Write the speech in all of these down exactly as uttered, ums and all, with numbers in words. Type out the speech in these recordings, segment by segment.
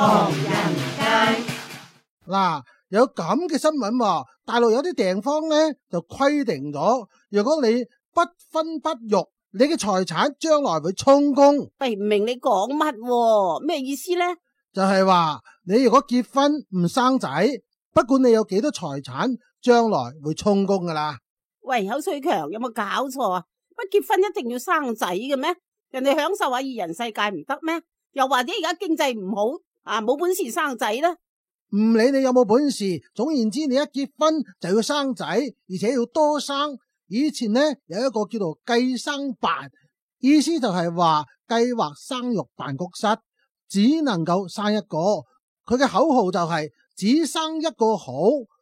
唐人街。嗱，有咁嘅新聞喎，大陸有啲地方呢就規定咗，如果你不婚不育，你嘅財產將來會充公。喂，唔明你講乜喎？咩意思呢？就係話你如果結婚唔生仔，不管你有幾多財產，將來會充公噶啦。喂，口水強，有冇搞錯啊？乜結婚一定要生仔嘅咩？人哋享受下二人世界唔得咩？又或者而家經濟唔好啊，冇本事生仔呢？唔理你有冇本事，總言之你一結婚就要生仔，而且要多生。以前呢有一個叫做計生辦，意思就係話計劃生育辦公室，只能夠生一個。佢嘅口號就係、是、只生一個好，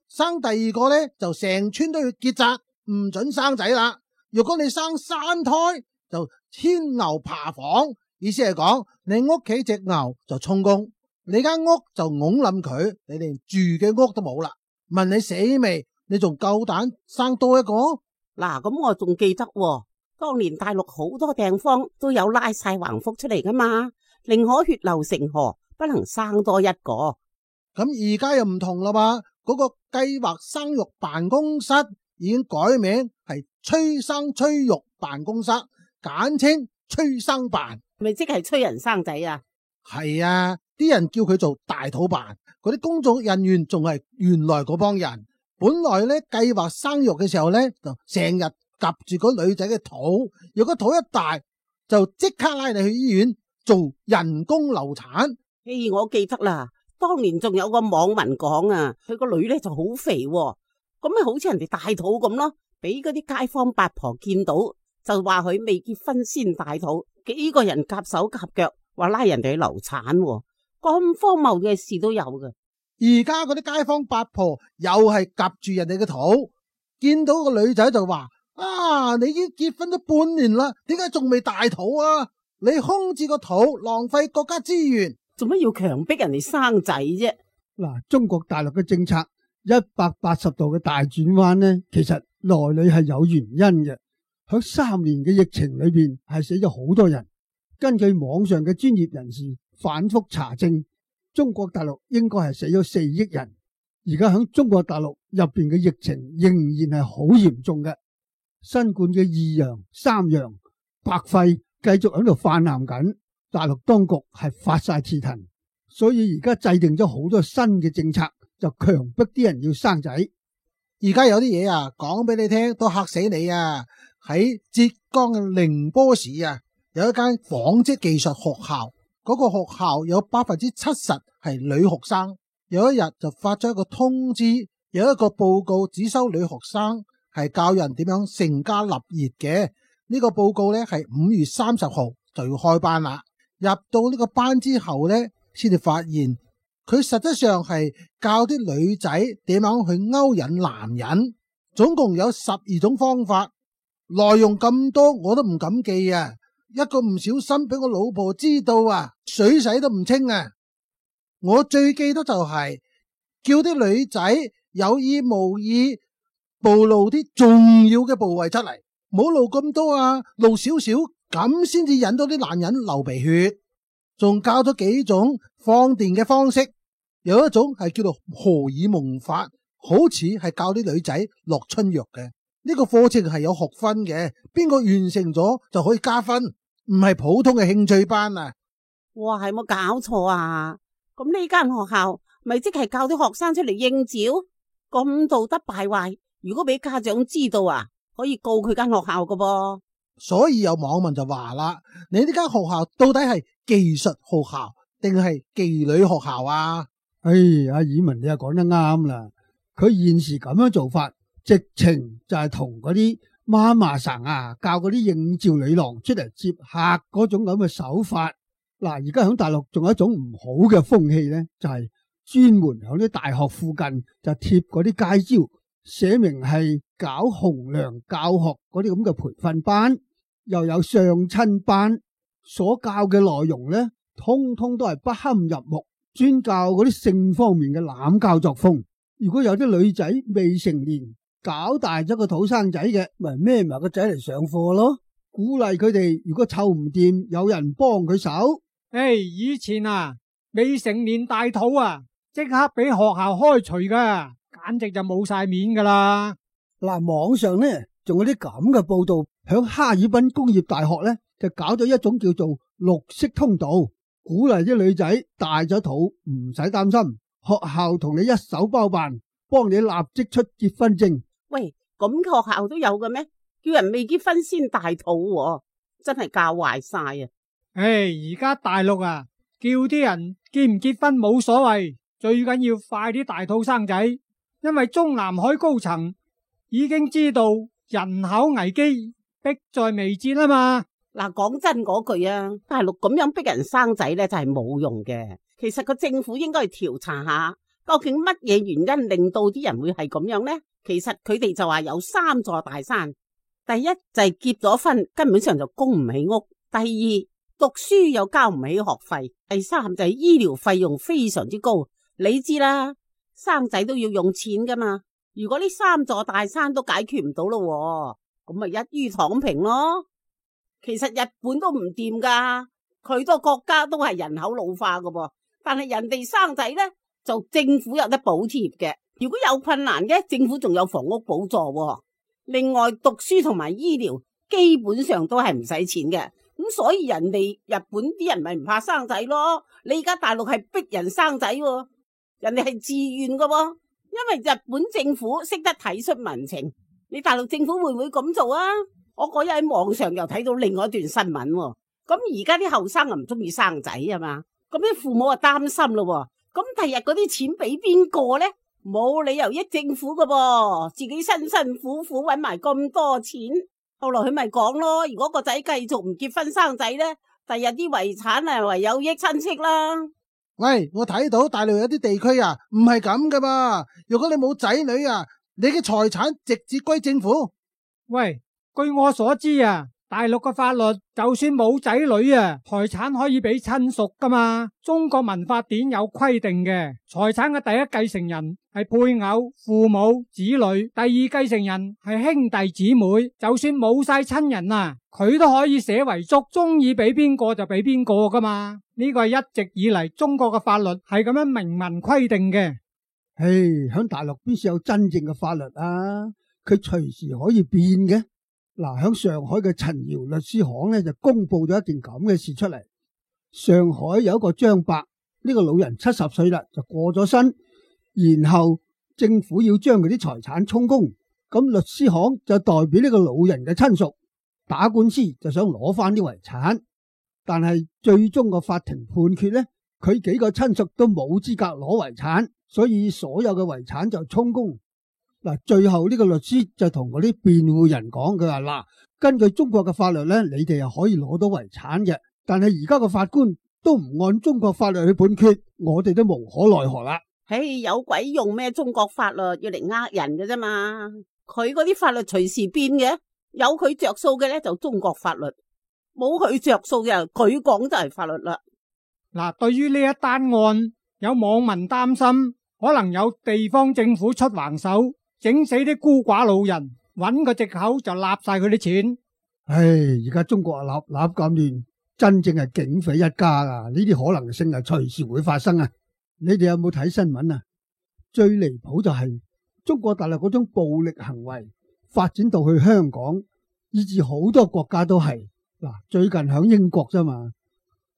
生第二個呢就成村都要結紮，唔准生仔啦。如果你生三胎就牽牛爬房，意思係講你屋企隻牛就充公，你間屋就拱冧佢，你連住嘅屋都冇啦。問你死未？你仲夠膽生多一個？嗱，咁我仲記得喎，當年大陸好多地方都有拉晒橫幅出嚟噶嘛，寧可血流成河，不能生多一個。咁而家又唔同啦嘛，嗰個計劃生育辦公室已經改名係催生催育辦公室，簡稱催生辦。咪即係催人生仔啊？係啊，啲人叫佢做大肚辦，嗰啲工作人員仲係原來嗰幫人。本來咧計劃生育嘅時候咧，就成日夾住個女仔嘅肚，如果肚一大，就即刻拉你去醫院做人工流產。嘿，我記得啦，當年仲有個網民講啊，佢個女咧就好肥喎，咁咪好似人哋大肚咁咯，俾嗰啲街坊八婆見到，就話佢未結婚先大肚，幾個人夾手夾腳話拉人哋去流產喎，咁荒謬嘅事都有㗎。而家嗰啲街坊八婆又係夾住人哋嘅肚，見到個女仔就話：啊，你已經結婚咗半年啦，點解仲未大肚啊？你空置個肚，浪費國家資源，做乜要強迫人哋生仔啫？嗱，中國大陸嘅政策一百八十度嘅大轉彎呢，其實內裏係有原因嘅。喺三年嘅疫情裏邊係死咗好多人，根據網上嘅專業人士反覆查證，中國大陸應該係死咗四億人。而家喺中國大陸入邊嘅疫情仍然係好嚴重嘅，新冠嘅二陽、三陽、白肺繼續喺度泛濫緊。大陸當局係發晒鐵騰，所以而家制定咗好多新嘅政策，就強迫啲人要生仔。而家有啲嘢啊，講俾你聽都嚇死你啊！喺浙江嘅寧波市啊，有一間紡織技術學校。嗰個學校有百分之七十係女學生，有一日就發咗一個通知，有一個報告只收女學生，係教人點樣成家立業嘅。呢個報告呢係五月三十號就要開班啦。入到呢個班之後呢，先至發現佢實質上係教啲女仔點樣去勾引男人，總共有十二種方法，內容咁多我都唔敢記啊！一個唔小心俾我老婆知道啊，水洗都唔清啊！我最記得就係、是、叫啲女仔有意無意暴露啲重要嘅部位出嚟，唔好露咁多啊，露少少咁先至引到啲男人流鼻血。仲教咗幾種放電嘅方式，有一種係叫做荷爾蒙法，好似係教啲女仔落春藥嘅。呢個課程係有學分嘅，邊個完成咗就可以加分，唔係普通嘅興趣班啊！哇，係冇搞錯啊！咁呢間學校咪即係教啲學生出嚟應招，咁道德敗壞，如果俾家長知道啊，可以告佢間學校噶噃。所以有網民就話啦：你呢間學校到底係技術學校定係妓女學校啊？哎，阿爾文你又講得啱啦，佢現時咁樣做法，直情就係同嗰啲媽媽生啊教嗰啲應召女郎出嚟接客嗰種咁嘅手法。嗱，而家喺大陸仲有一種唔好嘅風氣咧，就係、是、專門喺啲大學附近就貼嗰啲街招，寫明係搞紅娘教學嗰啲咁嘅培訓班，又有相親班，所教嘅內容咧，通通都係不堪入目，專教嗰啲性方面嘅濫教作風。如果有啲女仔未成年，搞大咗個肚生仔嘅，咪孭埋個仔嚟上課咯，鼓勵佢哋，如果湊唔掂，有人幫佢手。誒，以前啊，未成年大肚啊，即刻俾學校開除噶，簡直就冇晒面噶啦。嗱，網上呢仲有啲咁嘅報道，響哈爾濱工業大學呢就搞咗一種叫做綠色通道，鼓勵啲女仔大咗肚唔使擔心，學校同你一手包辦，幫你立即出結婚證。喂，咁學校都有嘅咩？叫人未結婚先大肚喎，真係教壞晒啊！唉，而家大陸啊，叫啲人結唔結婚冇所謂，最緊要快啲大肚生仔，因為中南海高層已經知道人口危機迫在眉睫啊嘛。嗱，講真嗰句啊，大陸咁樣逼人生仔咧，就係冇用嘅。其實個政府應該去調查下，究竟乜嘢原因令到啲人會係咁樣呢？其實佢哋就話有三座大山，第一就係結咗婚根本上就供唔起屋，第二讀書又交唔起學費，第三就係醫療費用非常之高。你知啦，生仔都要用錢噶嘛。如果呢三座大山都解決唔到咯，咁咪一於躺平咯。其實日本都唔掂噶，佢個國家都係人口老化噶噃，但係人哋生仔呢，就政府有得補貼嘅。如果有困難嘅，政府仲有房屋補助。另外讀書同埋醫療基本上都係唔使錢嘅，咁所以人哋日本啲人咪唔怕生仔咯。你而家大陸係逼人生仔，人哋係自願噶，因為日本政府識得體恤民情。你大陸政府會唔會咁做啊？我嗰日喺網上又睇到另外一段新聞，咁而家啲後生又唔中意生仔啊嘛，咁啲父母啊擔心咯，咁第日嗰啲錢俾邊個呢？冇理由益政府噶噃，自己辛辛苦苦搵埋咁多錢，後來佢咪講咯，如果個仔繼續唔結婚生仔呢，第日啲遺產啊唯有益親戚啦。喂，我睇到大陸有啲地區啊，唔係咁噶嘛，如果你冇仔女啊，你嘅財產直接歸政府。喂，據我所知啊，大陸嘅法律就算冇仔女啊，財產可以俾親屬噶嘛。中國民法典有規定嘅，財產嘅第一繼承人係配偶、父母、子女，第二繼承人係兄弟姊妹。就算冇晒親人啊，佢都可以寫遺囑，中意俾邊個就俾邊個噶嘛。呢個係一直以嚟中國嘅法律係咁樣明文規定嘅。唉，響大陸邊有真正嘅法律啊？佢隨時可以變嘅。嗱，響上海嘅陳堯律師行咧就公布咗一件咁嘅事出嚟。上海有一個張伯，呢個老人七十歲啦，就過咗身，然後政府要將佢啲財產充公，咁律師行就代表呢個老人嘅親屬打官司，就想攞翻啲遺產，但係最終個法庭判決咧，佢幾個親屬都冇資格攞遺產，所以所有嘅遺產就充公。嗱，最後呢個律師就同嗰啲辯護人講，佢話嗱，根據中國嘅法律咧，你哋係可以攞到遺產嘅，但係而家個法官都唔按中國法律去判決，我哋都無可奈何啦。唉，有鬼用咩？中國法律要嚟呃人嘅啫嘛，佢嗰啲法律隨時變嘅，有佢着數嘅咧就中國法律，冇佢着數嘅佢講就係法律啦。嗱，對於呢一單案，有網民擔心可能有地方政府出橫手，整死啲孤寡老人，揾個藉口就納晒佢啲錢。唉，而家中國啊立立咁亂，真正係警匪一家啊！呢啲可能性係隨時會發生啊！你哋有冇睇新聞啊？最離譜就係中國大陸嗰種暴力行為發展到去香港，以至好多國家都係。嗱，最近響英國啫嘛，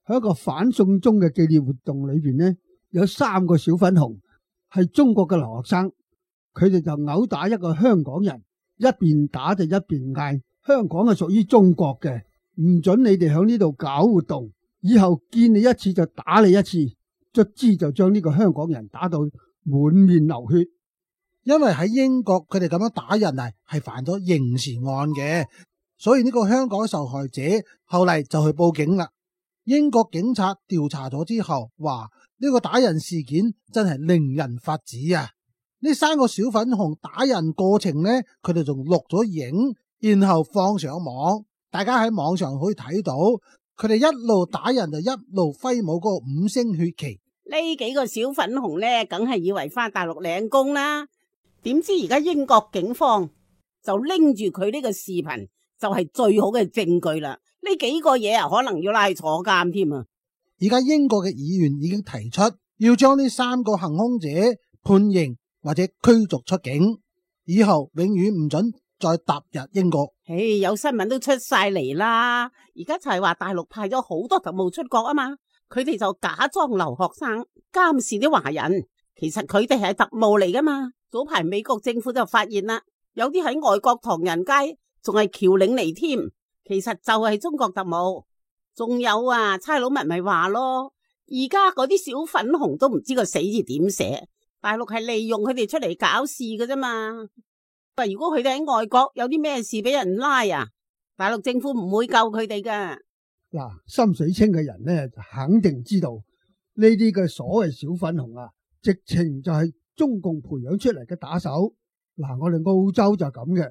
喺一個反送中嘅紀念活動裏邊呢，有三個小粉紅係中國嘅留學生。佢哋就毆打一個香港人，一邊打就一邊嗌，香港係屬於中國嘅，唔准你哋響呢度搞活動，以後見你一次就打你一次，卒之就將呢個香港人打到滿面流血。因為喺英國佢哋咁樣打人啊，係犯咗刑事案嘅，所以呢個香港受害者後嚟就去報警啦。英國警察調查咗之後話，呢個打人事件真係令人髮指啊！呢三個小粉紅打人過程呢，佢哋仲錄咗影，然後放上網，大家喺網上可以睇到，佢哋一路打人就一路揮舞嗰個五星血旗。呢幾個小粉紅呢，梗係以為翻大陸領功啦，點知而家英國警方就拎住佢呢個視頻，就係最好嘅證據啦。呢幾個嘢啊，可能要拉去坐監添啊！而家英國嘅議員已經提出要將呢三個行兇者判刑或者驅逐出境，以後永遠唔准再踏入英國。唉，有新聞都出晒嚟啦，而家就係話大陸派咗好多特務出國啊嘛，佢哋就假裝留學生監視啲華人，其實佢哋係特務嚟噶嘛。早排美國政府就發現啦，有啲喺外國唐人街仲係僑領嚟添，其實就係中國特務。仲有啊，差佬咪咪話咯，而家嗰啲小粉紅都唔知個死字點寫，大陸係利用佢哋出嚟搞事㗎啫嘛。如果佢哋喺外國有啲咩事俾人拉啊，大陸政府唔會救佢哋㗎。嗱，心水清嘅人呢，就肯定知道呢啲嘅所謂小粉紅啊，直情就係中共培養出嚟嘅打手。嗱，我哋澳洲就係咁嘅，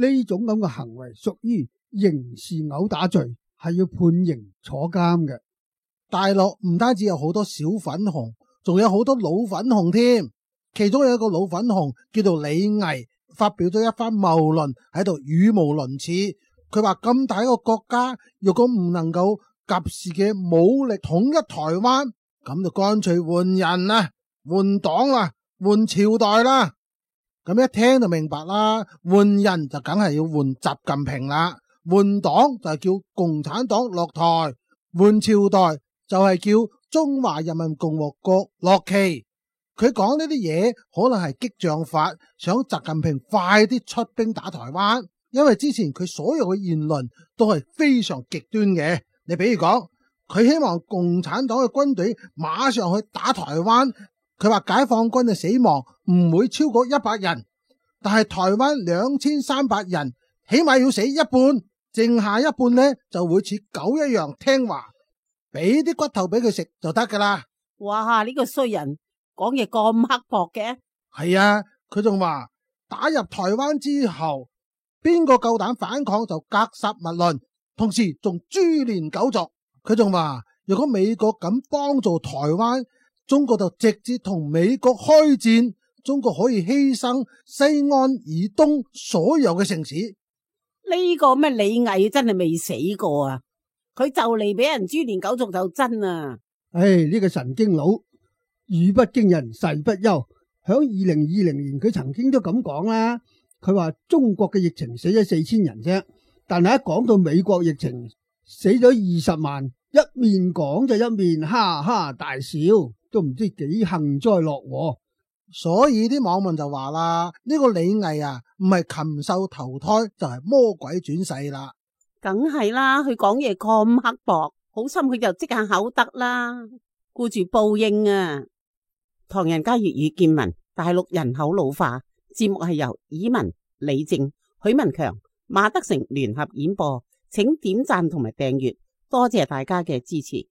呢種咁嘅行為屬於刑事毆打罪，係要判刑坐監嘅。大陸唔單止有好多小粉紅，仲有好多老粉紅添。其中有一個老粉紅叫做李毅，發表咗一番謬論喺度語無倫次。佢話咁大一個國家，如果唔能夠及時嘅武力統一台灣，咁就乾脆換人啦，換黨啦，換朝代啦。咁一聽就明白啦，換人就梗係要換習近平啦，換黨就係叫共產黨落台，換朝代就係叫中華人民共和國落旗。佢講呢啲嘢可能係激將法，想習近平快啲出兵打台灣，因為之前佢所有嘅言論都係非常極端嘅。你比如講，佢希望共產黨嘅軍隊馬上去打台灣，佢話解放軍嘅死亡唔會超過一百人，但係台灣兩千三百人起碼要死一半，剩下一半呢就會似狗一樣聽話，俾啲骨頭俾佢食就得噶啦。哇！呢個衰人講嘢咁刻薄嘅。係啊，佢仲話打入台灣之後，邊個夠膽反抗就格殺勿論，同時仲株連九族。佢仲話如果美國敢幫助台灣，中國就直接同美國開戰，中國可以犧牲西安以東所有嘅城市。呢個咩李毅真係未死過啊，佢就嚟俾人株連九族就真啊。唉，呢個神經佬語不驚人誓不休，響二零二零年佢曾經都咁講啦，佢話中國嘅疫情死咗四千人啫，但係一講到美國疫情死咗二十萬，一面講就一面哈哈大笑，都唔知幾幸災樂禍。所以啲網民就話啦，呢個李毅啊，唔係禽獸投胎就係魔鬼轉世啦。梗係啦，佢講嘢咁刻薄，好心佢就即下口得啦，顧住報應啊。唐人街粵語見聞，大陸人口老化，節目係由以文、李靜、許文強、馬德成聯合演播，請點讚同埋訂閱，多謝大家嘅支持。